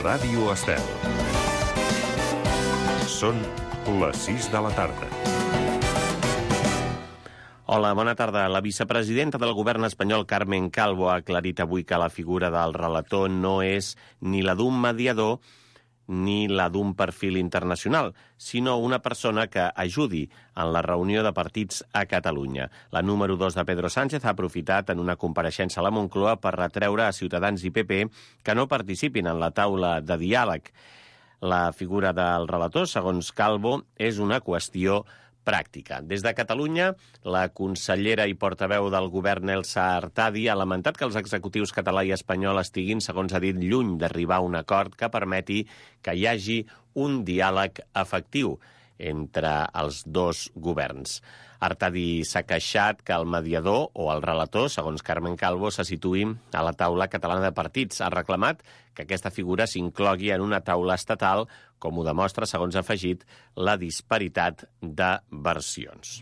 Ràdio Estel. Són les 6 de la tarda. Hola, bona tarda. La vicepresidenta del govern espanyol, Carmen Calvo, ha aclarit avui que la figura del relator no és ni la d'un mediador ni la d'un perfil internacional, sinó una persona que ajudi en la reunió de partits a Catalunya. La número 2 de Pedro Sánchez ha aprofitat en una compareixença a la Moncloa per retreure a Ciutadans i PP que no participin en la taula de diàleg. La figura del relator, segons Calvo, és una qüestió pràctica. Des de Catalunya, la consellera i portaveu del govern Elsa Artadi ha lamentat que els executius català i espanyol estiguin, segons ha dit, lluny d'arribar a un acord que permeti que hi hagi un diàleg efectiu entre els dos governs. Artadi s'ha queixat que el mediador o el relator, segons Carmen Calvo, se situï a la taula catalana de partits. Ha reclamat que aquesta figura s'inclogui en una taula estatal, com ho demostra, segons ha afegit, la disparitat de versions.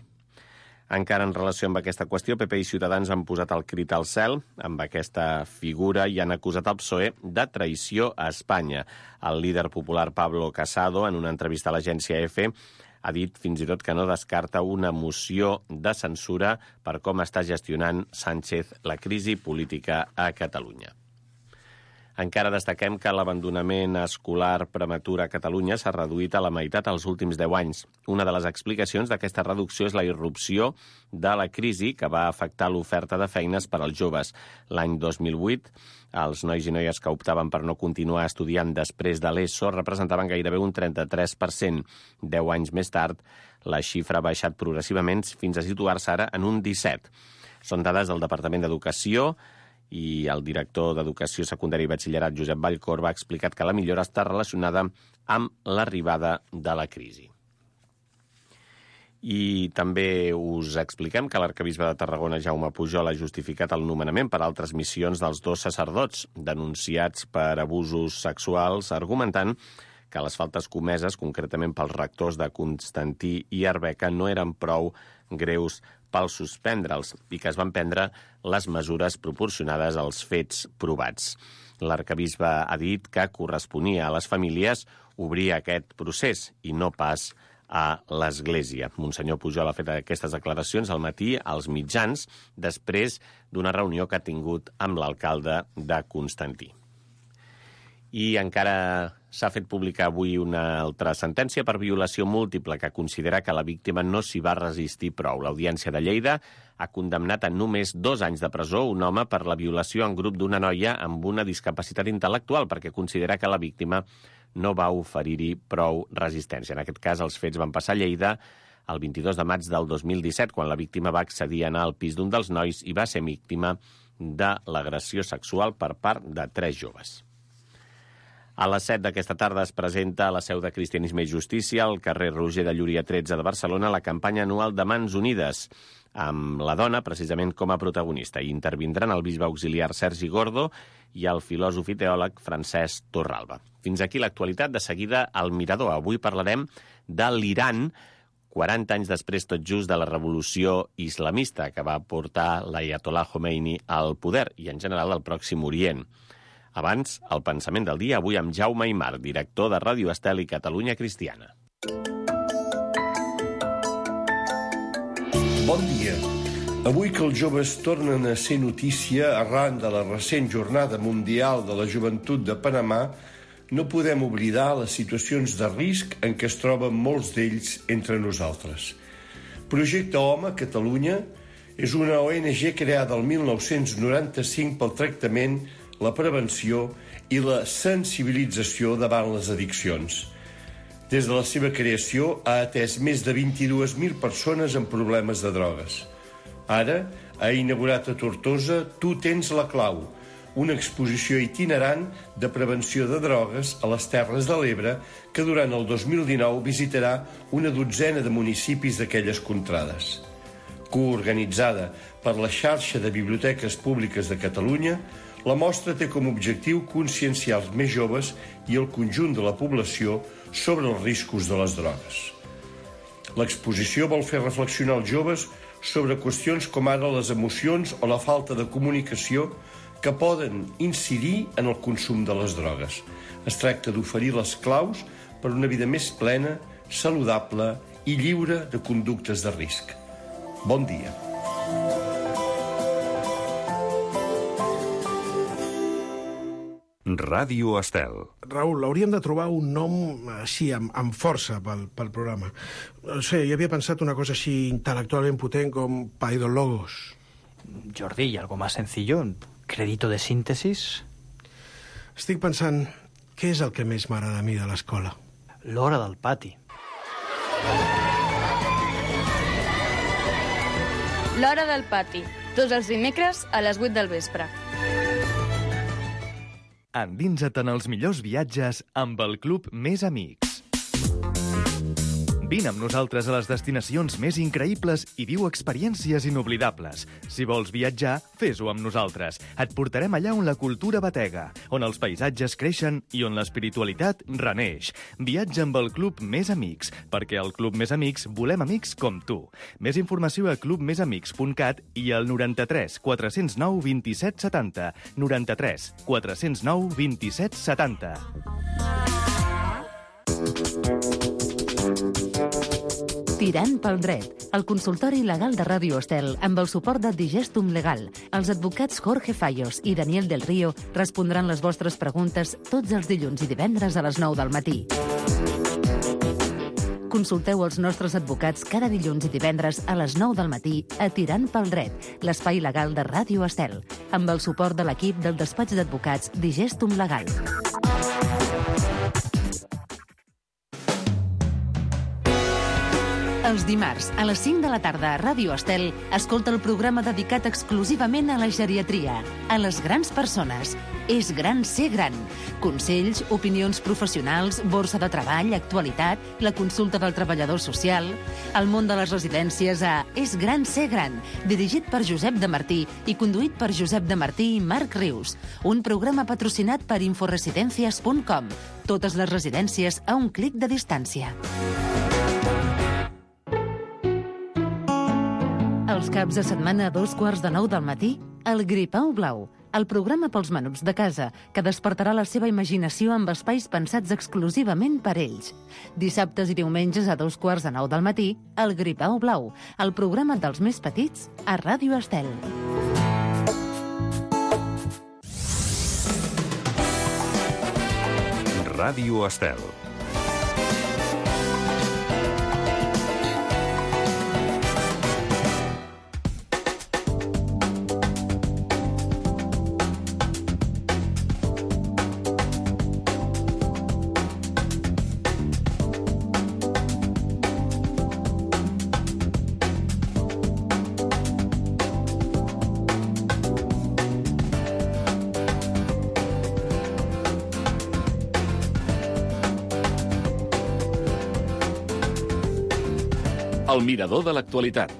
Encara en relació amb aquesta qüestió, PP i Ciutadans han posat el crit al cel amb aquesta figura i han acusat el PSOE de traïció a Espanya. El líder popular Pablo Casado, en una entrevista a l'agència EFE, ha dit fins i tot que no descarta una moció de censura per com està gestionant Sánchez la crisi política a Catalunya. Encara destaquem que l'abandonament escolar prematur a Catalunya s'ha reduït a la meitat els últims 10 anys. Una de les explicacions d'aquesta reducció és la irrupció de la crisi que va afectar l'oferta de feines per als joves. L'any 2008, els nois i noies que optaven per no continuar estudiant després de l'ESO representaven gairebé un 33%. 10 anys més tard, la xifra ha baixat progressivament fins a situar-se ara en un 17%. Són dades del Departament d'Educació, i el director d'Educació Secundària i Batxillerat, Josep Vallcor, ha explicat que la millora està relacionada amb l'arribada de la crisi. I també us expliquem que l'arquebisbe de Tarragona, Jaume Pujol, ha justificat el nomenament per altres missions dels 2 sacerdots denunciats per abusos sexuals, argumentant que les faltes comeses, concretament pels rectors de Constantí i Arbeca, no eren prou greus per suspendre'ls i que es van prendre les mesures proporcionades als fets provats. L'arquebisbe ha dit que corresponia a les famílies obrir aquest procés i no pas a l'Església. Monsenyor Pujol ha fet aquestes declaracions al matí als mitjans després d'una reunió que ha tingut amb l'alcalde de Constantí. I encara s'ha fet publicar avui una altra sentència per violació múltiple que considera que la víctima no s'hi va resistir prou. L'Audiència de Lleida ha condemnat a només 2 anys de presó un home per la violació en grup d'una noia amb una discapacitat intel·lectual perquè considera que la víctima no va oferir-hi prou resistència. En aquest cas, els fets van passar a Lleida el 22 de maig del 2017, quan la víctima va accedir a anar al pis d'un dels nois i va ser víctima de l'agressió sexual per part de 3 joves. A les 7 d'aquesta tarda es presenta a la seu de Cristianisme i Justícia, al carrer Roger de Llúria 13 de Barcelona, la campanya anual de Mans Unides, amb la dona precisament com a protagonista. Hi intervindran el bisbe auxiliar Sergi Gordo i el filòsof i teòleg Francesc Torralba. Fins aquí l'actualitat. De seguida, al Mirador. Avui parlarem de l'Iran, 40 anys després tot just de la revolució islamista que va portar l'Ayatollah Khomeini al poder i, en general, al Pròxim Orient. Abans, el pensament del dia, avui amb Jaume Aymar, director de Ràdio Estel i Catalunya Cristiana. Bon dia. Avui que els joves tornen a ser notícia arran de la recent Jornada Mundial de la Joventut de Panamà, no podem oblidar les situacions de risc en què es troben molts d'ells entre nosaltres. Projecte Home Catalunya és una ONG creada el 1995 pel tractament, la prevenció i la sensibilització davant les addiccions. Des de la seva creació ha atès més de 22.000 persones amb problemes de drogues. Ara ha inaugurat a Tortosa Tu tens la clau, una exposició itinerant de prevenció de drogues a les Terres de l'Ebre que durant el 2019 visitarà una dotzena de municipis d'aquelles contrades. Coorganitzada per la xarxa de biblioteques públiques de Catalunya, la mostra té com a objectiu conscienciar els més joves i el conjunt de la població sobre els riscos de les drogues. L'exposició vol fer reflexionar els joves sobre qüestions com ara les emocions o la falta de comunicació que poden incidir en el consum de les drogues. Es tracta d'oferir les claus per una vida més plena, saludable i lliure de conductes de risc. Bon dia. Ràdio Estel. Raül, hauríem de trobar un nom així, amb força pel programa. No sé, jo havia pensat una cosa així intel·lectualment potent com Paidologos. Jordi, ¿y algo más sencillo? ¿Crédito de síntesis? Estic pensant, què és el que més m'agrada a mi de l'escola? L'hora del pati. L'hora del pati, tots els dimecres a les 8 del vespre. Endinsa't en els millors viatges amb el Club Més Amics. Vine amb nosaltres a les destinacions més increïbles i viu experiències inoblidables. Si vols viatjar, fes-ho amb nosaltres. Et portarem allà on la cultura batega, on els paisatges creixen i on l'espiritualitat reneix. Viatja amb el Club Més Amics, perquè al Club Més Amics volem amics com tu. Més informació a clubmesamics.cat i al 93 409 27 70. 93 409 27 70. Tirant pel dret, el consultori legal de Ràdio Estel amb el suport de Digestum Legal. Els advocats Jorge Fallos i Daniel del Río respondran les vostres preguntes tots els dilluns i divendres a les 9 del matí. Consulteu els nostres advocats cada dilluns i divendres a les 9 del matí a Tirant pel dret, l'espai legal de Ràdio Estel, amb el suport de l'equip del despatx d'advocats Digestum Legal. Els dimarts, a les 5 de la tarda a Ràdio Estel, escolta el programa dedicat exclusivament a la geriatria, a les grans persones. És gran ser gran. Consells, opinions professionals, borsa de treball, actualitat, la consulta del treballador social, el món de les residències a És gran ser gran, dirigit per Josep de Martí i conduït per Josep de Martí i Marc Rius. Un programa patrocinat per inforesidencias.com. Totes les residències a un clic de distància. Els caps de setmana a 2:15 del matí, el Gripau Blau, el programa pels menuts de casa, que despertarà la seva imaginació amb espais pensats exclusivament per ells. Dissabtes i diumenges a 2:15 del matí, el Gripau Blau, el programa dels més petits a Ràdio Estel. Ràdio Estel. El mirador de l'actualitat.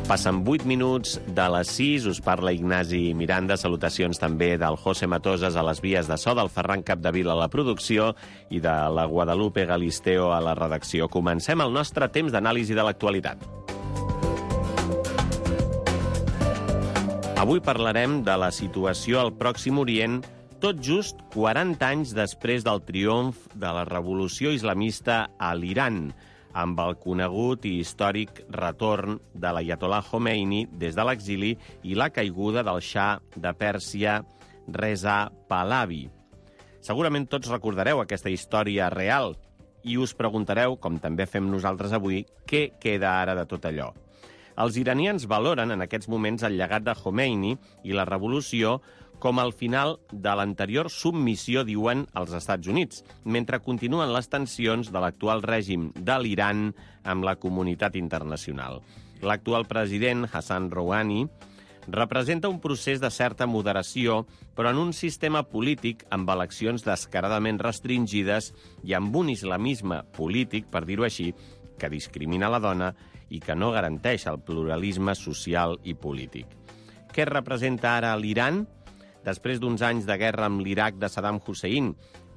Passen 8 minuts de les 6, us parla Ignasi Miranda, salutacions també del José Matoses a les vies de so, del Ferran Capdevila a la producció i de la Guadalupe Galisteo a la redacció. Comencem el nostre temps d'anàlisi de l'actualitat. Avui parlarem de la situació al Pròxim Orient, tot just 40 anys després del triomf de la revolució islamista a l'Iran, amb el conegut i històric retorn de l'Aiatollah Khomeini des de l'exili i la caiguda del Shah de Pèrsia, Reza Pahlavi. Segurament tots recordareu aquesta història real i us preguntareu, com també fem nosaltres avui, què queda ara de tot allò. Els iranians valoren en aquests moments el llegat de Khomeini i la revolució com al final de l'anterior submissió, diuen, als Estats Units, mentre continuen les tensions de l'actual règim de l'Iran amb la comunitat internacional. L'actual president, Hassan Rouhani, representa un procés de certa moderació, però en un sistema polític amb eleccions descaradament restringides i amb un islamisme polític, per dir-ho així, que discrimina la dona i que no garanteix el pluralisme social i polític. Què representa ara l'Iran? Després d'uns anys de guerra amb l'Iraq de Saddam Hussein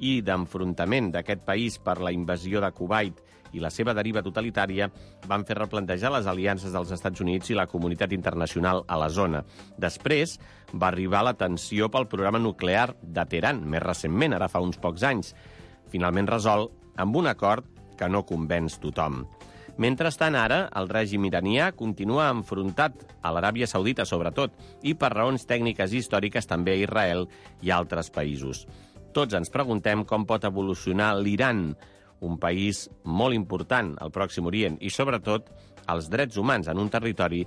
i d'enfrontament d'aquest país per la invasió de Kuwait i la seva deriva totalitària van fer replantejar les aliances dels Estats Units i la comunitat internacional a la zona. Després va arribar la tensió pel programa nuclear de Teheran, més recentment, ara fa uns pocs anys, finalment resolt amb un acord que no convenç tothom. Mentrestant, ara, el règim iranià continua enfrontat a l'Aràbia Saudita, sobretot, i per raons tècniques i històriques també a Israel i a altres països. Tots ens preguntem com pot evolucionar l'Iran, un país molt important al Pròxim Orient, i sobretot els drets humans en un territori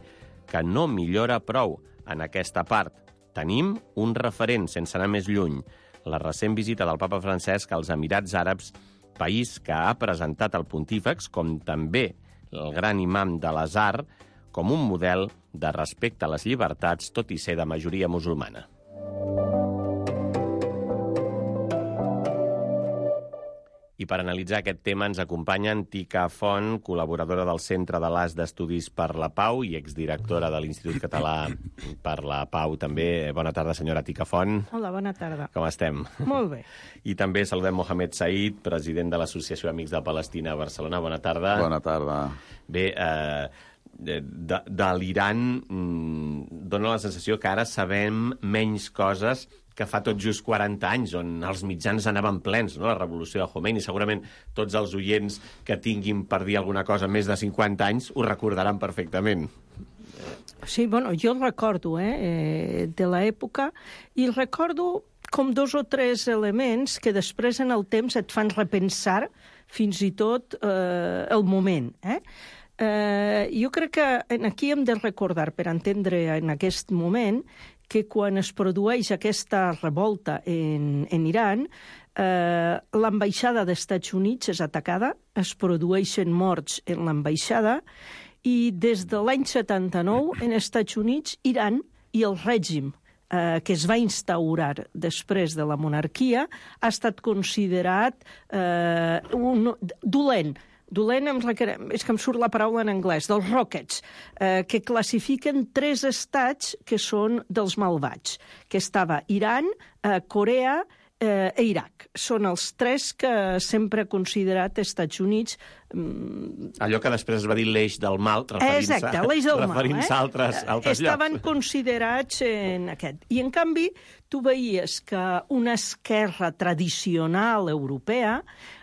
que no millora prou en aquesta part. Tenim un referent, sense anar més lluny, la recent visita del papa Francesc als Emirats Àrabs, país que ha presentat el pontífex, com també el gran imam de l'Azhar, com un model de respecte a les llibertats, tot i ser de majoria musulmana. I per analitzar aquest tema ens acompanya Tika Font, col·laboradora del Centre de l'AS d'Estudis per la Pau i exdirectora de l'Institut Català per la Pau també. Bona tarda, senyora Tika Font. Hola, bona tarda. Com estem? Molt bé. I també saludem Mohamed Said, president de l'Associació Amics de Palestina a Barcelona. Bona tarda. Bona tarda. Bé, de l'Iran dona la sensació que ara sabem menys coses que fa tot just 40 anys, on els mitjans anaven plens, no?, la revolució de Khomeini. Segurament tots els oients que tinguin per dir alguna cosa més de 50 anys ho recordaran perfectament. Sí, bueno, jo el recordo, de l'època, i recordo com 2 o 3 elements que després en el temps et fan repensar fins i tot el moment, jo crec que aquí hem de recordar, per entendre en aquest moment, que quan es produeix aquesta revolta en Iran, l'ambaixada dels Estats Units és atacada, es produeixen morts en l'ambaixada, i des de l'any 79, en els Estats Units, Iran i el règim que es va instaurar després de la monarquia ha estat considerat dolent, és que em surt la paraula en anglès, dels rockets, que classifiquen 3 estats que són dels malvats, que estava Iran, Corea i Iraq. Són els 3 que sempre ha considerat Estats Units... Allò que després es va dir l'eix del mal, referint-se a altres llocs. Estaven considerats en aquest. I, en canvi, tu veies que una esquerra tradicional europea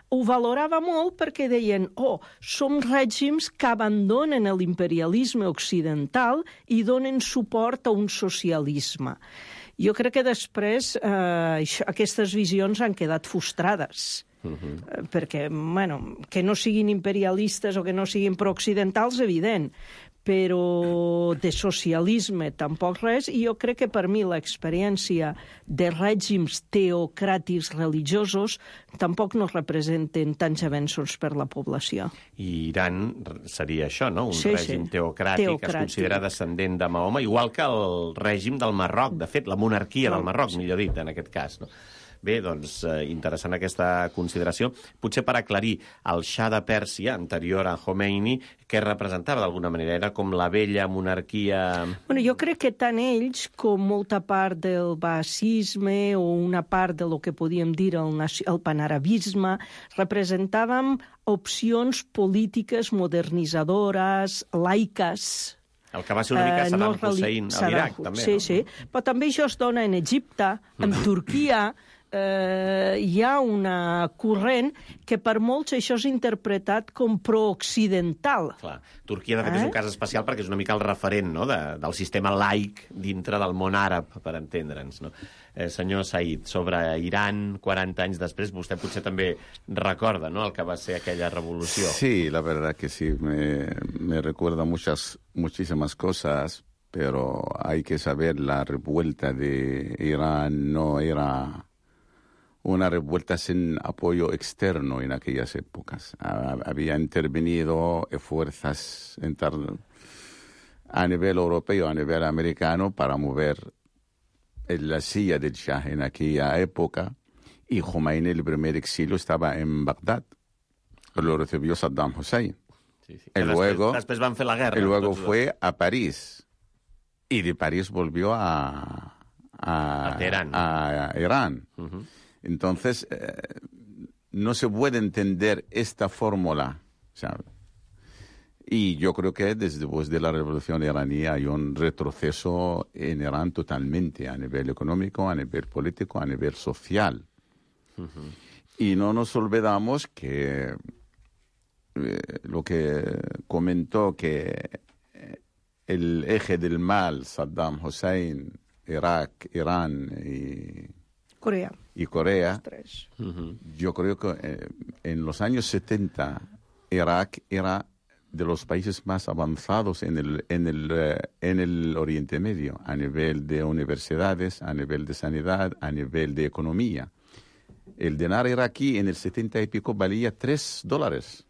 ho valorava molt perquè deien som règims que abandonen l'imperialisme occidental i donen suport a un socialisme. Jo crec que després aquestes visions han quedat frustrades. Perquè, que no siguin imperialistes o que no siguin prooccidentals, evident, però de socialisme tampoc res, i jo crec que per mi l'experiència de règims teocràtics religiosos tampoc no representen tants avenços per la població. I Iran seria això, no? Un règim teocràtic, es considera descendent de Mahoma, igual que el règim del Marroc, de fet, la monarquia del Marroc, millor dit, en aquest cas, no? Bé, doncs, interessant aquesta consideració. Potser per aclarir, el Shah de Pèrsia, anterior a Khomeini, què representava d'alguna manera? Era com la vella monarquia... Bueno, jo crec que tant ells com molta part del baasisme o una part de lo que podíem dir el panarabisme representàvem opcions polítiques modernitzadores, laiques... El que va ser una mica Saddam Hussein a l'Iraq, també. Sí, sí. Però també això es dona en Egipte, en Turquia. Hi ha una corrent que per molts això és interpretat com prooccidental. Clar, Turquia de fet és un cas especial perquè és una mica el referent, no?, del sistema laic dintre del món àrab, per entendre'ns, no? Senyor Said, sobre Iran, 40 anys després, vostè potser també recorda, ¿no?, el que va ser aquella revolució. Sí, la verdad que sí, me recuerda muchísimas cosas, pero hay que saber la revuelta de Irán no era una revuelta sin apoyo externo en aquellas épocas. Había intervenido fuerzas a nivel europeo, a nivel americano, para mover la silla del Shah en aquella época, y Khomeini, el primer exilio, estaba en Bagdad. Lo recibió Saddam Hussein. Sí, sí. Y luego, después van a hacer la guerra. Y luego fue a París. Y de París volvió a Teherán. A Irán. Entonces, no se puede entender esta fórmula ¿sabe? Y yo creo que después de la revolución iraní hay un retroceso en Irán totalmente, a nivel económico, a nivel político, a nivel social. Y no nos olvidamos que lo que comentó que el eje del mal, Saddam Hussein, Irak, Irán y Corea, yo creo que en los años 70 Irak era de los países más avanzados en el Oriente Medio, a nivel de universidades, a nivel de sanidad, a nivel de economía. El dinar iraquí en el 70 y pico valía $3.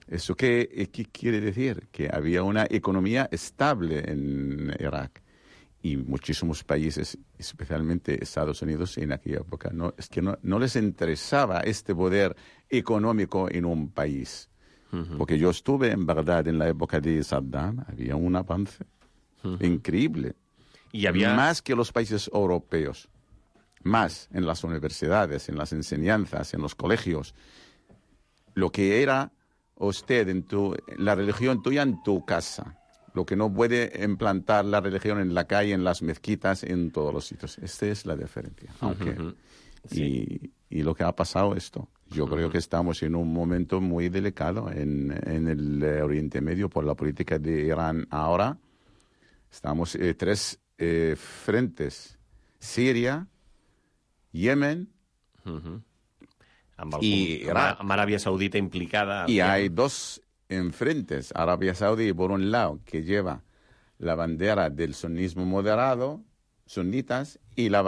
¿Eso qué quiere decir? Que había una economía estable en Irak. Y muchísimos países, especialmente Estados Unidos en aquella época, no les interesaba este poder económico en un país. Porque yo estuve en Bagdad en la época de Saddam, había un avance increíble. Y había más que los países europeos. Más en las universidades, en las enseñanzas, en los colegios. Lo que era usted la religión tuya en tu casa. Lo que no puede implantar la religión en la calle, en las mezquitas, en todos los sitios. Esta es la diferencia. Y lo que ha pasado esto. Yo creo que estamos en un momento muy delicado en el Oriente Medio por la política de Irán ahora. Estamos tres frentes. Siria, Yemen y Irak. Amb Aràbia Saudita implicada. Y hay dos enfrentes. Arabia Saudí, por un lado, que lleva la bandera del sunismo moderado, sunitas, y la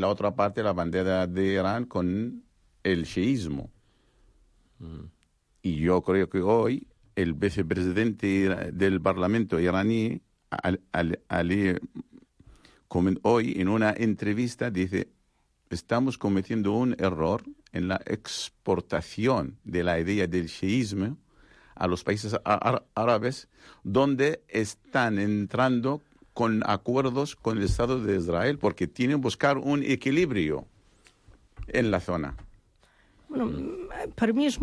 otra parte, la bandera de Irán con el chiismo. Y yo creo que hoy el vicepresidente del Parlamento iraní, Ali, hoy en una entrevista dice: estamos cometiendo un error en la exportación de la idea del chiismo a los países árabes, donde están entrando con acuerdos con el Estado de Israel, porque tienen que buscar un equilibrio en la zona. Bueno, per mi és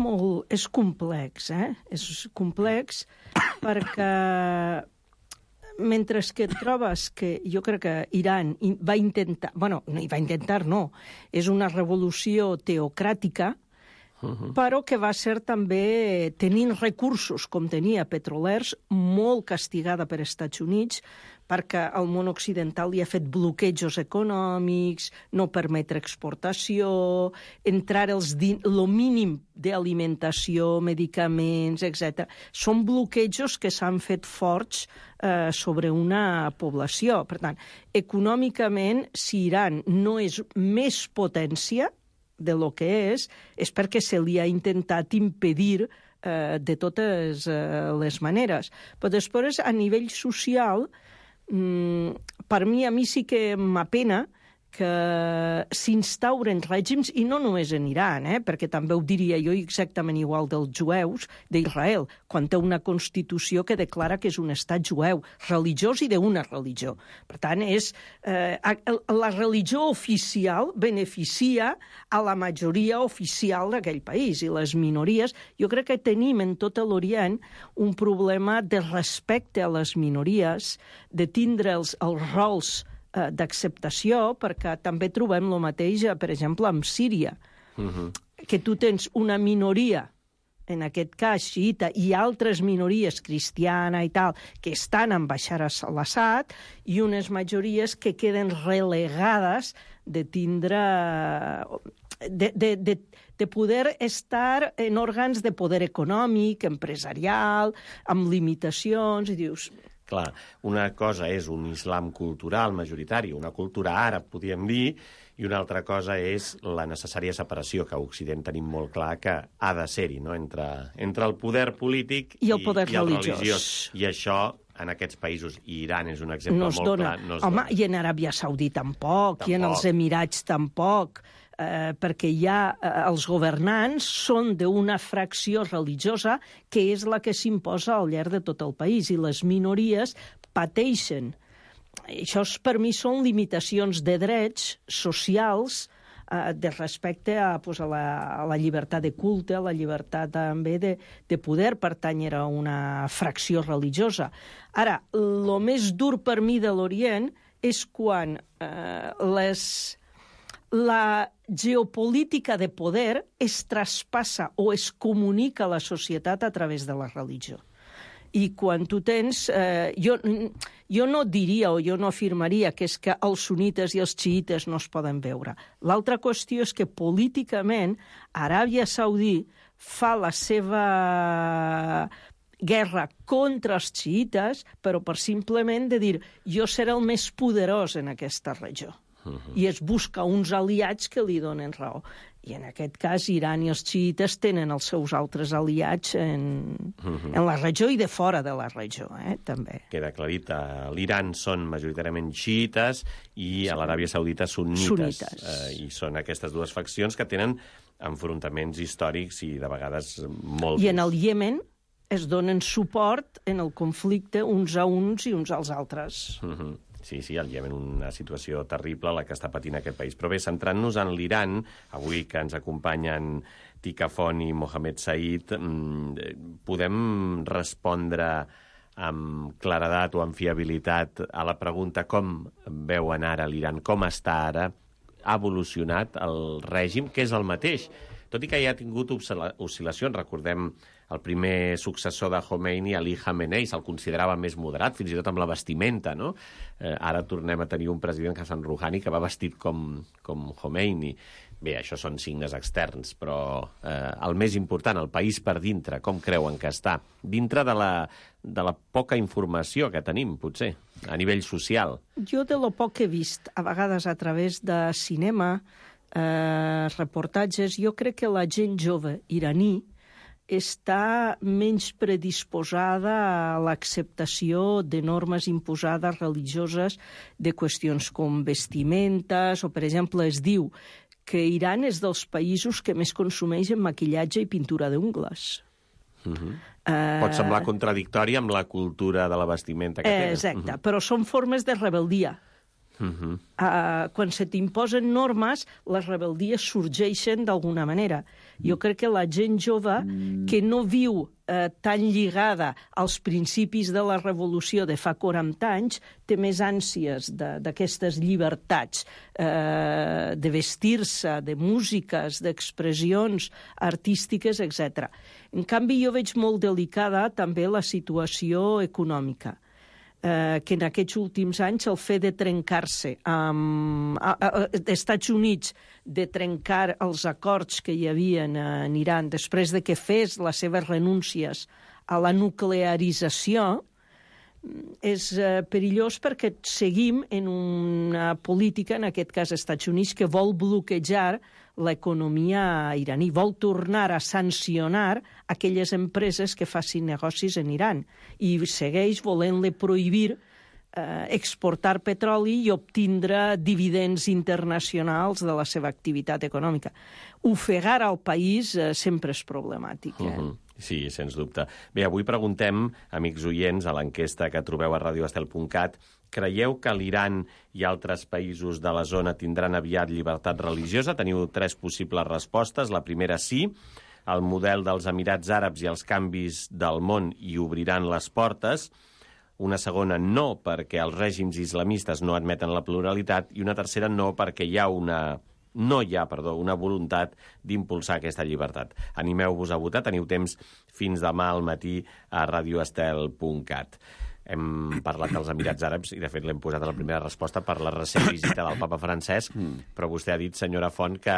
complex, És complex perquè mentre que et trobes que jo crec que Iran va intentar... Bueno, no hi va intentar, no. És una revolució teocràtica, però que va ser també, tenint recursos com tenia petrolers, molt castigada per Estats Units, perquè el món occidental li ha fet bloquejos econòmics, no permetre exportació, entrar el mínim d'alimentació, medicaments, etc. Són bloquejos que s'han fet forts sobre una població. Per tant, econòmicament, si Iran no és més potència de lo que és perquè se li ha intentat impedir de totes les maneres. Però després, a nivell social, per mi, a mi sí que m'apena que s'instauren règims, i no només en Iran, perquè també ho diria jo exactament igual dels jueus d'Israel, quan té una Constitució que declara que és un estat jueu, religiós i d'una religió. Per tant, la religió oficial beneficia a la majoria oficial d'aquell país, i les minories. Jo crec que tenim en tot l'Orient un problema de respecte a les minories, de tindre els rols d'acceptació, perquè també trobem el mateix, per exemple, amb Síria, que tu tens una minoria, en aquest cas xiita, i altres minories, cristiana i tal, que estan amb Bashar al-Assad, i unes majories que queden relegades de tindre... de poder estar en òrgans de poder econòmic, empresarial, amb limitacions, i dius... Clar, una cosa és un islam cultural majoritari, una cultura àrab, podríem dir, i una altra cosa és la necessària separació, que a Occident tenim molt clar que ha de ser-hi, no? Entre el poder polític i el poder religiós. I això, en aquests països, i Iran és un exemple molt clar, no es dona. I en Aràbia Saudita tampoc, i en els Emirats tampoc, perquè els governants són d'una fracció religiosa que és la que s'imposa al llarg de tot el país, i les minories pateixen. Això per mi són limitacions de drets socials de respecte a la llibertat de culte, a la llibertat també de poder pertànyer a una fracció religiosa. Ara, el més dur per mi de l'Orient és quan la geopolítica de poder es traspassa o es comunica a la societat a través de la religió. I quan tu tens... jo no diria o jo no afirmaria que és que els sunites i els xiites no es poden veure. L'altra qüestió és que políticament Aràbia Saudí fa la seva guerra contra els xiites, però per simplement de dir jo seré el més poderós en aquesta regió. I es busca uns aliats que li donen raó. I en aquest cas, Iran i els xiites tenen els seus altres aliats en la regió i de fora de la regió, també. Queda aclarit, a l'Iran són majoritàriament xiites i a l'Aràbia Saudita sunnites. I són aquestes dues faccions que tenen enfrontaments històrics i de vegades molt... I en el Iemen es donen suport en el conflicte uns a uns i uns als altres. Sí, al Iemen una situació terrible la que està patint aquest país. Però bé, centrant-nos en l'Iran, avui que ens acompanyen Tika Font i Mohamed Said, podem respondre amb claredat o amb fiabilitat a la pregunta com veuen ara l'Iran, com està ara, ha evolucionat el règim, que és el mateix. Tot i que ja ha tingut oscil·lacions, recordem el primer successor de Khomeini, Ali Khamenei, se'l considerava més moderat, fins i tot amb la vestimenta, no? Ara tornem a tenir un president, Hassan Rouhani, que va vestit com Khomeini. Bé, això són signes externs, però el més important, el país per dintre, com creuen que està? Dintre de la poca informació que tenim, potser, a nivell social. Jo de lo poc que he vist, a vegades a través de cinema, reportatges, jo crec que la gent jove iraní està menys predisposada a l'acceptació de normes imposades religioses de qüestions com vestimentes, o, per exemple, es diu que Iran és dels països que més consumeix en maquillatge i pintura d'ungles. Pot semblar contradictori amb la cultura de la vestimenta que tenen. Exacte, però són formes de rebel·lia. Quan se t'imposen normes, les rebeldies sorgeixen d'alguna manera. Jo crec que la gent jove que no viu tan lligada als principis de la revolució de fa 40 anys té més ànsies d'aquestes llibertats, de vestir-se, de músiques, d'expressions artístiques, etc. En canvi, jo veig molt delicada també la situació econòmica, que en aquests últims anys el fet de trencar-se amb els Estats Units, de trencar els acords que hi havia en Iran després de que fes les seves renúncies a la nuclearització, és perillós perquè seguim en una política, en aquest cas als Estats Units, que vol bloquejar l'economia iraní, vol tornar a sancionar aquelles empreses que facin negocis en Iran i segueix volent-li prohibir exportar petroli i obtindre dividends internacionals de la seva activitat econòmica. Ofegar al país sempre és problemàtic. Sí, sens dubte. Bé, avui preguntem, amics oients, a l'enquesta que trobeu a radioestel.cat, creieu que l'Iran i altres països de la zona tindran aviat llibertat religiosa? Teniu 3 possibles respostes. La primera, sí. El model dels Emirats Àrabs i els canvis del món hi obriran les portes. Una segona, no, perquè els règims islamistes no admeten la pluralitat. I una tercera, no, perquè no hi ha una voluntat d'impulsar aquesta llibertat. Animeu-vos a votar, teniu temps fins demà al matí a radioestel.cat. Hem parlat dels Emirats Àrabs i, de fet, l'hem posat a la primera resposta per la recent visita del papa Francesc, però vostè ha dit, senyora Font, que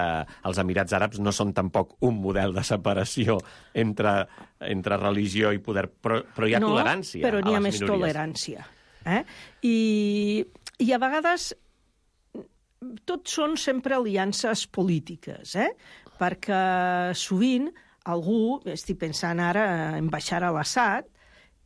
els Emirats Àrabs no són tampoc un model de separació entre religió i poder, però hi ha tolerància a les minories. No, però n'hi ha més tolerància. I a vegades tot són sempre aliances polítiques, perquè sovint algú, estic pensant ara en Bashar al-Assad,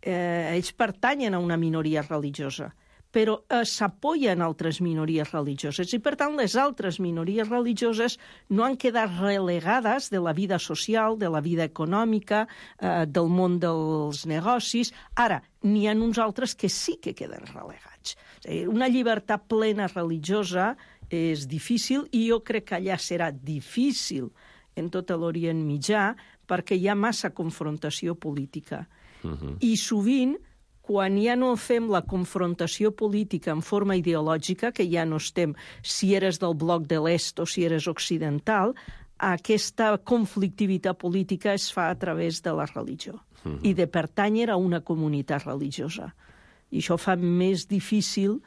ells pertanyen a una minoria religiosa, però s'apoyen altres minories religioses i, per tant, les altres minories religioses no han quedat relegades de la vida social, de la vida econòmica, del món dels negocis. Ara, n'hi ha uns altres que sí que queden relegats. Una llibertat plena religiosa és difícil, i jo crec que allà serà difícil en tot l'Orient Mitjà perquè hi ha massa confrontació política. I sovint, quan ja no fem la confrontació política en forma ideològica, que ja no estem si eres del bloc de l'est o si eres occidental, aquesta conflictivitat política es fa a través de la religió i de pertànyer a una comunitat religiosa. I això fa més difícil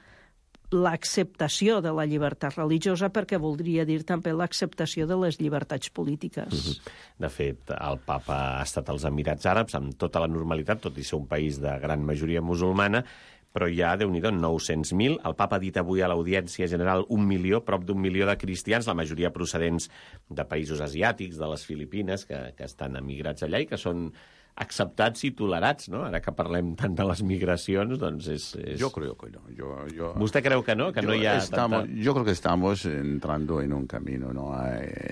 l'acceptació de la llibertat religiosa, perquè voldria dir també l'acceptació de les llibertats polítiques. De fet, el papa ha estat als Emirats Àrabs amb tota la normalitat, tot i ser un país de gran majoria musulmana, però hi ha, Déu-n'hi-do, 900.000. El papa ha dit avui a l'Audiència General 1 milió, prop d'1 milió de cristians, la majoria procedents de països asiàtics, de les Filipines, que estan emigrats allà i que són acceptats i tolerats, ¿no? Ara que parlem tant de les migracions, doncs és... Yo creo que no. ¿Vostè creu que no? Que no hi ha tanta... Yo creo que estamos entrando en un camino, ¿no?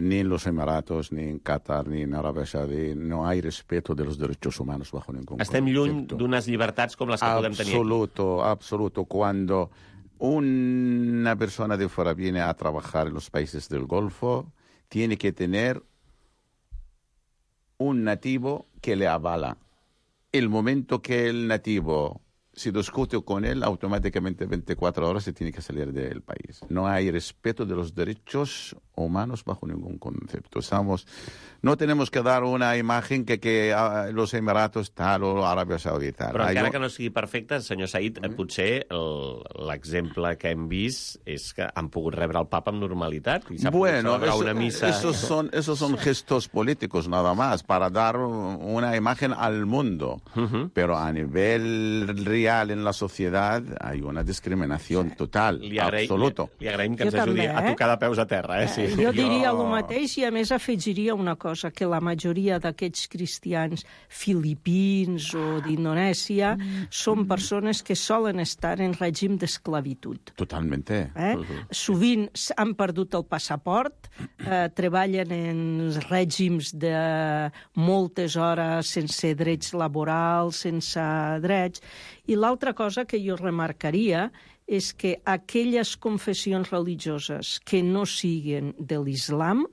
Ni en los Emiratos, ni en Qatar, ni en Arabia Saudí, no hay respeto de los derechos humanos bajo ningún concepto. Estem lluny d'unes llibertats com les que podem tenir aquí. Absoluto. Cuando una persona de fuera viene a trabajar en los países del Golfo, tiene que tener un nativo que le avala. El momento que el nativo se discute con él, automáticamente 24 horas se tiene que salir del país. No hay respeto de los derechos humanos bajo ningún concepto. No tenemos que dar una imagen que los Emiratos tal o Aràbia Saudita tal. Però encara que no sigui perfecte, senyor Said, potser l'exemple que hem vist és que han pogut rebre el papa amb normalitat i s'ha pogut celebrar una missa. Esos son gestos políticos nada más, para dar una imagen al mundo. Pero a nivel real en la sociedad hay una discriminación total, absoluto. Li agraïm que ens ajudi a tocar de peus a terra, sí. Jo diria el mateix i, a més, afegiria una cosa, que la majoria d'aquests cristians filipins o d'Indonèsia són persones que solen estar en règim d'esclavitud. Totalmente. Sovint han perdut el passaport, treballen en règims de moltes hores sense drets laborals, sense drets. I l'altra cosa que jo remarcaria és que aquelles confessions religioses que no siguen de l'islam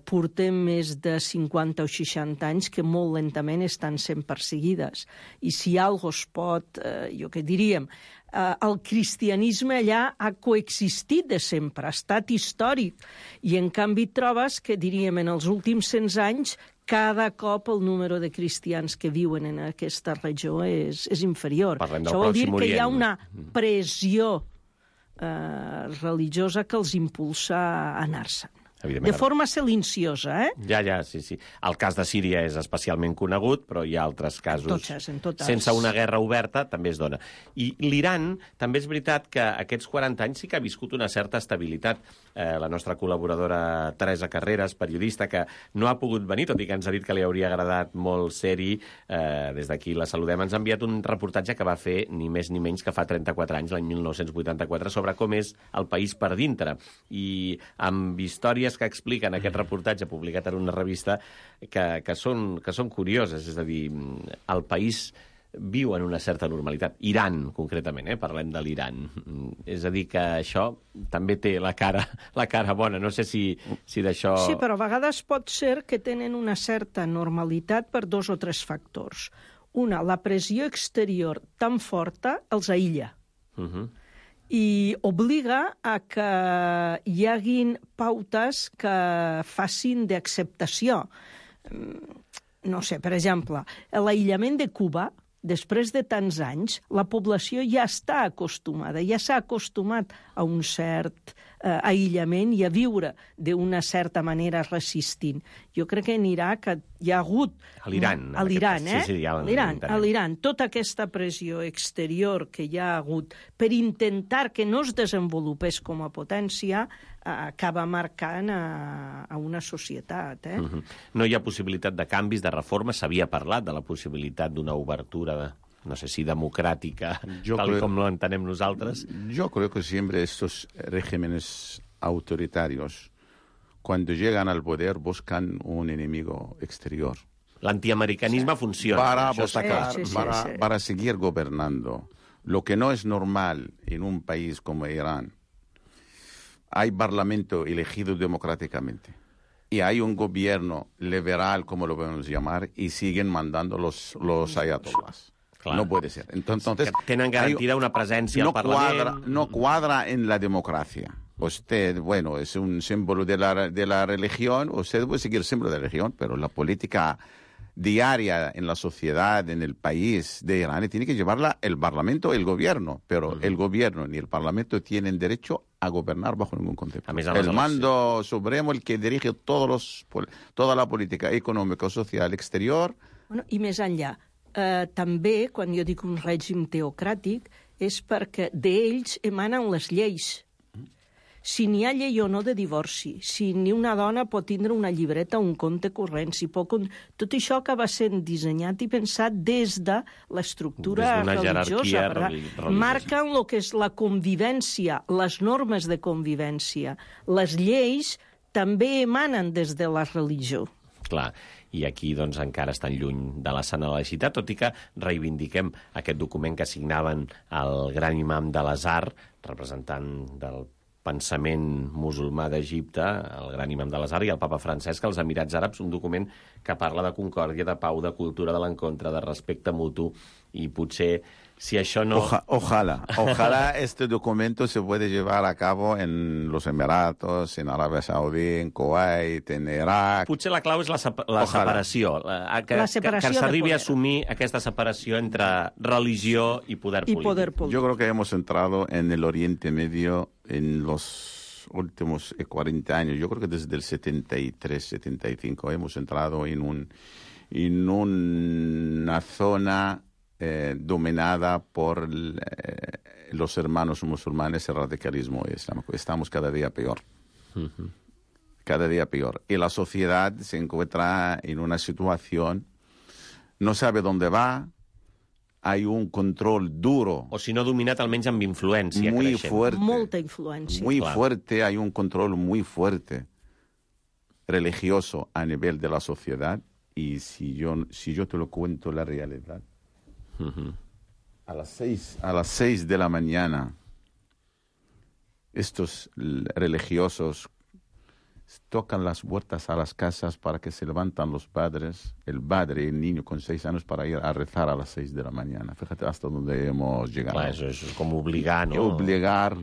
portem més de 50 o 60 anys que molt lentament estan sent perseguides. I si algo es pot, jo què diríem, el cristianisme allà ha coexistit de sempre, ha estat històric, i en canvi trobes que, diríem, en els últims 100 anys, cada cop el número de cristians que viuen en aquesta regió és inferior. Això vol dir que hi ha una pressió religiosa que els impulsa a anar-se'n. De forma silenciosa, Ja, sí. El cas de Síria és especialment conegut, però hi ha altres casos. En totes. Sense una guerra oberta també es dona. I l'Iran, també és veritat que aquests 40 anys sí que ha viscut una certa estabilitat. La nostra col·laboradora Teresa Carreras, periodista, que no ha pogut venir, tot i que ens ha dit que li hauria agradat molt ser-hi, des d'aquí la saludem, ens ha enviat un reportatge que va fer ni més ni menys que fa 34 anys, l'any 1984, sobre com és el país per dintre. I amb històries que expliquen aquest reportatge publicat en una revista que són curioses, és a dir, el país viu en una certa normalitat. Iran, concretament, parlem de l'Iran. És a dir, que això també té la cara bona. No sé si d'això... Sí, però a vegades pot ser que tenen una certa normalitat per 2 o 3 factors. Una, la pressió exterior tan forta els aïlla. I obliga a que hi haguin pautes que facin d'acceptació. No sé, per exemple, l'aïllament de Cuba, després de tants anys, la població ja està acostumada, ja s'ha acostumat a un cert aïllament i a viure d'una certa manera resistint. Jo crec que en Iraq hi ha hagut... A l'Iran. A l'Iran, Sí, a l'Iran. Tota aquesta pressió exterior que hi ha hagut per intentar que no es desenvolupés com a potència acaba marcant a una societat. No hi ha possibilitat de canvis, de reformes. S'havia parlat de la possibilitat d'una obertura no sé si democràtica, tal com lo entenem nosaltres. Yo creo que siempre estos regímenes autoritarios, cuando llegan al poder, buscan un enemigo exterior. L'antiamericanisme funciona. Para seguir gobernando. Lo que no es normal en un país como Irán, hay parlamento elegido democráticamente y hay un gobierno liberal, como lo podemos llamar, y siguen mandando los ayatolás. Clar. No puede ser. Entonces, que tenen garantida una presència al Parlament. No cuadra en la democracia. Usted, bueno, es un símbolo de la religión, usted puede seguir símbolo de la religión, pero la política diaria en la sociedad, en el país de Irán, tiene que llevarla el Parlamento, el gobierno, pero el gobierno ni el Parlamento tienen derecho a gobernar bajo ningún concepto. El mando supremo, el que dirige toda la política econòmica, social, exterior... Bueno, i més enllà, també, quan jo dic un règim teocràtic, és perquè d'ells emanen les lleis. Si n'hi ha llei o no de divorci, si ni una dona pot tindre una llibreta o un compte corrent, tot això acaba sent dissenyat i pensat des de l'estructura religiosa. Marquen el que és la convivència, les normes de convivència. Les lleis també emanen des de la religió. Clar, i aquí doncs, encara estan lluny de la sana laïcitat, tot i que reivindiquem aquest document que signaven el gran imam de l'Azhar, representant del pensament musulmà d'Egipte, el gran imam de l'Azhar, i el papa Francesc als Emirats Àrabs, un document que parla de concòrdia, de pau, de cultura de l'encontre, de respecte mutu, i potser si això no... Ojalá este documento se puede llevar a cabo en los Emiratos, en Arabia Saudí, en Kuwait, en Irak... Potser la clau és la separació, que s'arribi a assumir aquesta separació entre religió i poder polític. Yo creo que hemos entrado en el Oriente Medio en los últimos 40 años. Yo creo que desde el 73, 75 hemos entrado en una zona dominada por los hermanos musulmanes, el radicalismo islámico. Estamos cada día peor. Cada día peor. Y la sociedad se encuentra en una situación, no sabe dónde va, hay un control duro. O si no dominat, almenys amb influència. Muy fuerte. Molta influència. Muy fuerte, hay un control muy fuerte religioso a nivel de la sociedad. Y si yo te lo cuento la realidad, a las 6 de la mañana, estos religiosos tocan las puertas a las casas para que se levantan los padres, el padre y el niño con 6 años para ir a rezar a las 6 de la mañana. Fíjate hasta dónde hemos llegado. Clar, eso es como obligar, ¿no? Obligar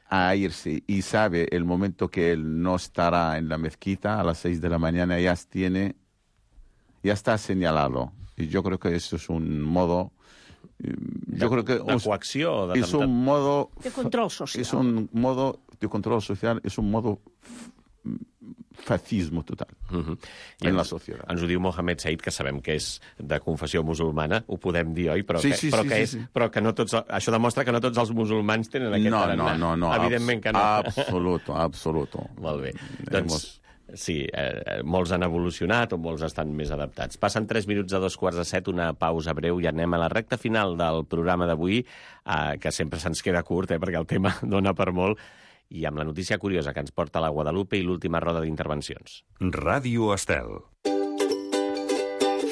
a irse. Y sabe el momento que él no estará en la mezquita a las 6 de la mañana, ya está señalado. Y yo creo que eso es un modo... Yo creo que de coacció, es un modo de control social. Es un modo de control social, es un modo fascismo total en la societat. Ens ho diu Mohamed Said, que sabem que és de confessió musulmana, ho podem dir, oi? Però que no tots... Això demostra que no tots els musulmans tenen aquest tarannà. No. Evidentment que no. Absoluto. Molt bé. Doncs... Sí, molts han evolucionat o molts estan més adaptats. Passen 3 minuts a 2:45, una pausa breu i anem a la recta final del programa d'avui, que sempre se'ns queda curt, perquè el tema dona per molt, i amb la notícia curiosa que ens porta la Guadalupe i l'última roda d'intervencions. Ràdio Estel.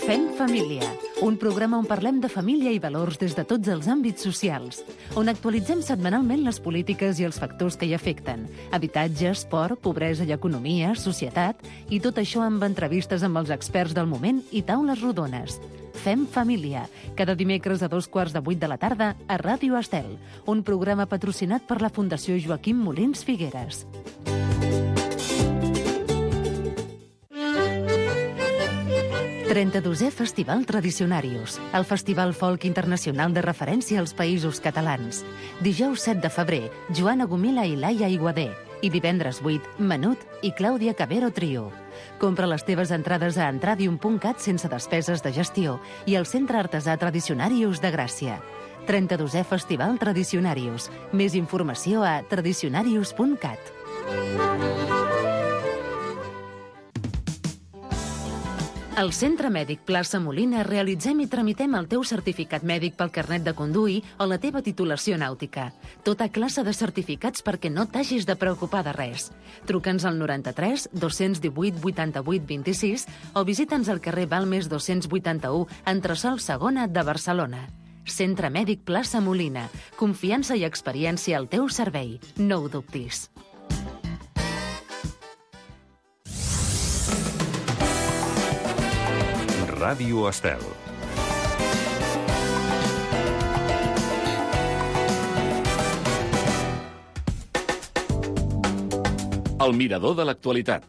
Fem família, un programa on parlem de família i valors des de tots els àmbits socials, on actualitzem setmanalment les polítiques i els factors que hi afecten, habitatge, esport, pobresa i economia, societat, i tot això amb entrevistes amb els experts del moment i taules rodones. Fem família, cada dimecres a 7:45 de la tarda a Ràdio Estel, un programa patrocinat per la Fundació Joaquim Molins Figueres. 32è Festival Tradicionarius, el festival folk internacional de referència als països catalans. Dijous 7 de febrer, Joana Gomila i Laia Iguader. I divendres 8, Menut i Clàudia Cabero Trio. Compra les teves entrades a entradium.cat sense despeses de gestió i al Centre Artesà Tradicionarius de Gràcia. 32è Festival Tradicionarius. Més informació a tradicionarius.cat. Al Centre Mèdic Plaça Molina realitzem i tramitem el teu certificat mèdic pel carnet de conduir o la teva titulació nàutica. Tota classe de certificats perquè no t'hagis de preocupar de res. Truca'ns al 93 218 88 26 o visita'ns al carrer Balmes 281, entresòl Segona de Barcelona. Centre Mèdic Plaça Molina. Confiança i experiència al teu servei. No ho dubtis. Ràdio Estel. El mirador de l'actualitat.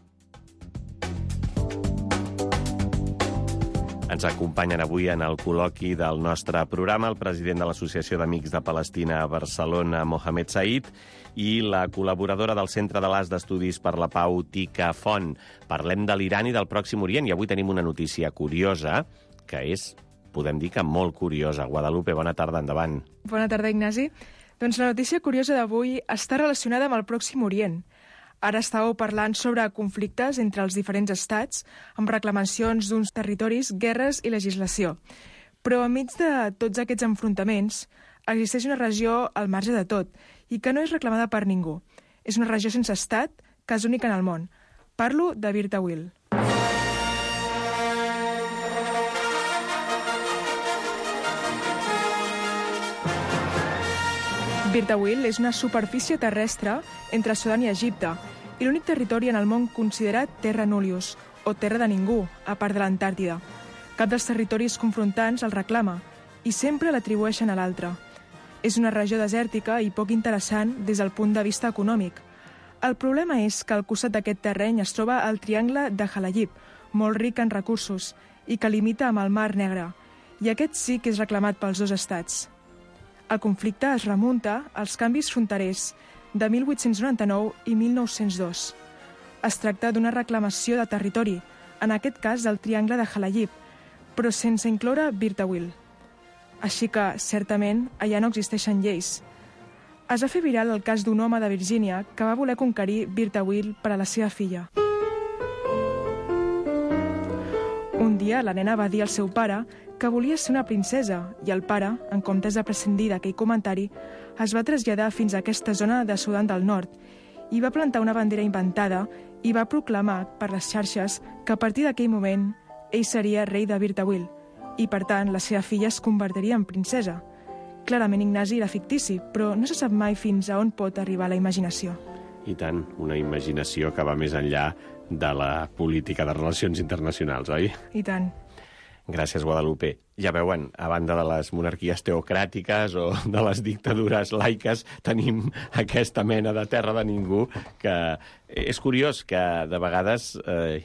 Ens acompanyen avui en el col·loqui del nostre programa el president de l'Associació d'Amics de Palestina a Barcelona, Mohamed Said, i la col·laboradora del Centre de l'As d'Estudis per la Pau, Tika Font. Parlem de l'Iran i del Pròxim Orient, i avui tenim una notícia curiosa, que és, podem dir que molt curiosa. Guadalupe, bona tarda, endavant. Bona tarda, Ignasi. Doncs la notícia curiosa d'avui està relacionada amb el Pròxim Orient. Ara estàveu parlant sobre conflictes entre els diferents estats, amb reclamacions d'uns territoris, guerres i legislació. Però enmig de tots aquests enfrontaments, existeix una regió al marge de tot i que no és reclamada per ningú. És una regió sense estat, que és única en el món. Parlo de Bir Tawil. Bir Tawil és una superfície terrestre entre Sudan i Egipte i l'únic territori en el món considerat terra nullius, o terra de ningú, a part de l'Antàrtida. Cap dels territoris confrontants el reclama i sempre l'atribueixen a l'altre. És una regió desèrtica i poc interessant des del punt de vista econòmic. El problema és que al costat d'aquest terreny es troba el triangle de Halayib, molt ric en recursos, i que limita amb el Mar Negre, i aquest sí que és reclamat pels dos estats. El conflicte es remunta als canvis fronterers de 1899 i 1902. Es tracta d'una reclamació de territori, en aquest cas del triangle de Halayib, però sense incloure Bir Tawil. Així que, certament, allà no existeixen lleis. Es va fer viral el cas d'un home de Virgínia que va voler conquerir Bir Tawil per a la seva filla. Un dia, la nena va dir al seu pare que volia ser una princesa i el pare, en comptes de prescindir d'aquell comentari, es va traslladar fins a aquesta zona de Sudan del Nord i va plantar una bandera inventada i va proclamar per les xarxes que a partir d'aquell moment ell seria rei de Bir Tawil i, per tant, la seva filla es convertiria en princesa. Clarament, Ignasi era fictici, però no se sap mai fins a on pot arribar la imaginació. I tant, una imaginació que va més enllà de la política de relacions internacionals, oi? I tant. Gràcies, Guadalupe. Ja veuen, a banda de les monarquies teocràtiques o de les dictadures laiques, tenim aquesta mena de terra de ningú que és curiós que de vegades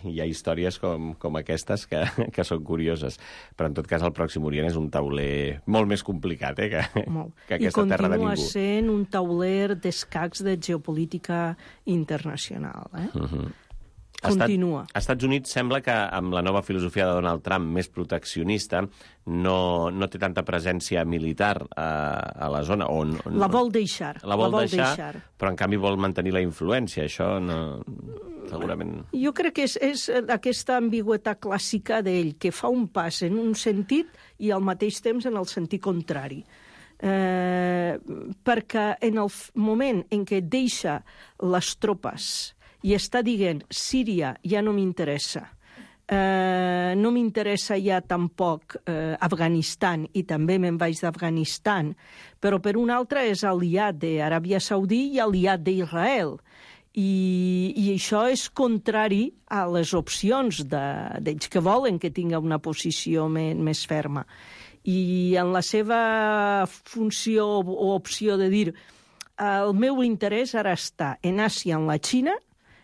hi ha històries com aquestes que són curioses. Però en tot cas el Pròxim Orient és un tauler molt més complicat que aquesta terra de ningú. I continua sent un tauler d'escacs de geopolítica internacional. Continua. Als Estats Units sembla que amb la nova filosofia de Donald Trump més proteccionista no té tanta presència militar a la zona. La vol deixar. La vol deixar, però en canvi vol mantenir la influència. Això no, segurament... Jo crec que és aquesta ambigüitat clàssica d'ell, que fa un pas en un sentit i al mateix temps en el sentit contrari. Perquè en el moment en què deixa les tropes i està dient, Síria ja no m'interessa, no m'interessa ja tampoc Afganistan, i també me'n vaig d'Afganistan, però per un altre és aliat d'Aràbia Saudí i aliat d'Israel. I això és contrari a les opcions d'ells que volen que tingui una posició més ferma. I en la seva funció o opció de dir el meu interès ara està en Àsia, en la Xina,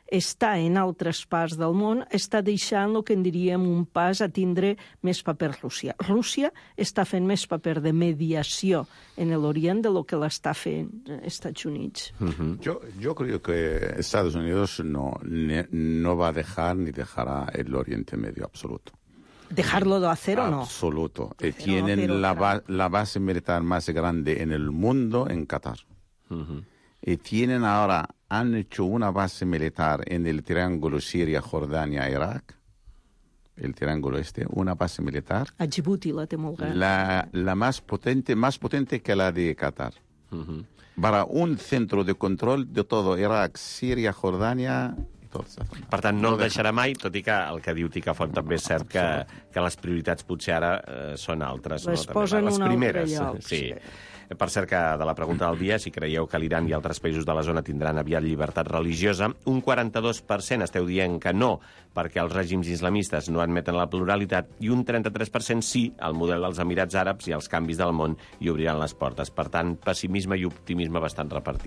està en altres parts del món, està deixant el que en diríem un pas a tindre més paper Rússia. Rússia està fent més paper de mediació en l'Orient de lo que l'està fent Estats Units. Yo creo que Estados Unidos no va a dejar ni dejará el Oriente Medio absoluto. ¿Dejarlo de hacer o no? Absoluto. Tienen la base militar más grande en el mundo en Qatar. Y tienen ahora, han hecho una base militar en el triángulo Siria-Jordania-Irak, el triángulo una base militar. A Djibouti la té molt gran. La más potente que la de Qatar. Para un centro de control de todo Irak, Siria, Jordania Per tant, no el deixarà mai, tot i que el que diu Ticafont també és cert que les prioritats potser ara són altres. Les no? posen les un primeres, altre lloc. Sí. Per cert, que de la pregunta del dia, si creieu que l'Iran i altres països de la zona tindran aviat llibertat religiosa, un 42% esteu dient que no, perquè els règims islamistes no admeten la pluralitat, i un 33% sí al model dels Emirats Àrabs i els canvis del món i obriran les portes. Per tant, pessimisme i optimisme bastant repartit.